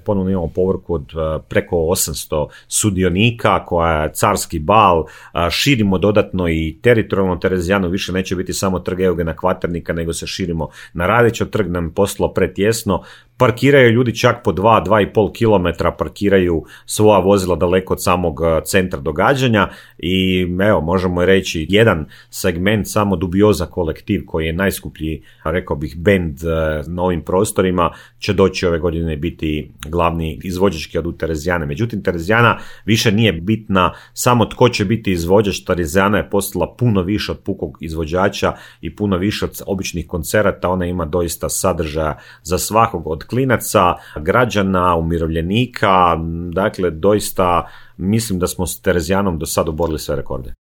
ponovno imamo povorku od preko 800 sudionika, koja je carski bal, širimo dodatno i teritorijalno Terezijanu, više neće biti samo trg Eugena Kvaternika, nego se širimo na Radićev trg, nam postalo pretjesno, parkiraju ljudi čak po 2,5 km, parkiraju svoja vozila daleko od samog centra događanja i evo, možemo reći, jedan segment, samo Dubioza kolektiv, koji je najskuplji, rekao bih, bend na ovim prostorima, će doći ove godine biti glavni izvođački od Terezijane. Međutim, Terezijana više nije bitna samo tko će biti izvođač. Terezijana je postala puno više od pukog izvođača i puno više od običnih koncerata. Ona ima doista sadržaja za svakog, od klinaca, građana, umirovljenika. Dakle, doista mislim da smo s Terezijanom do sad oborili sve rekorde.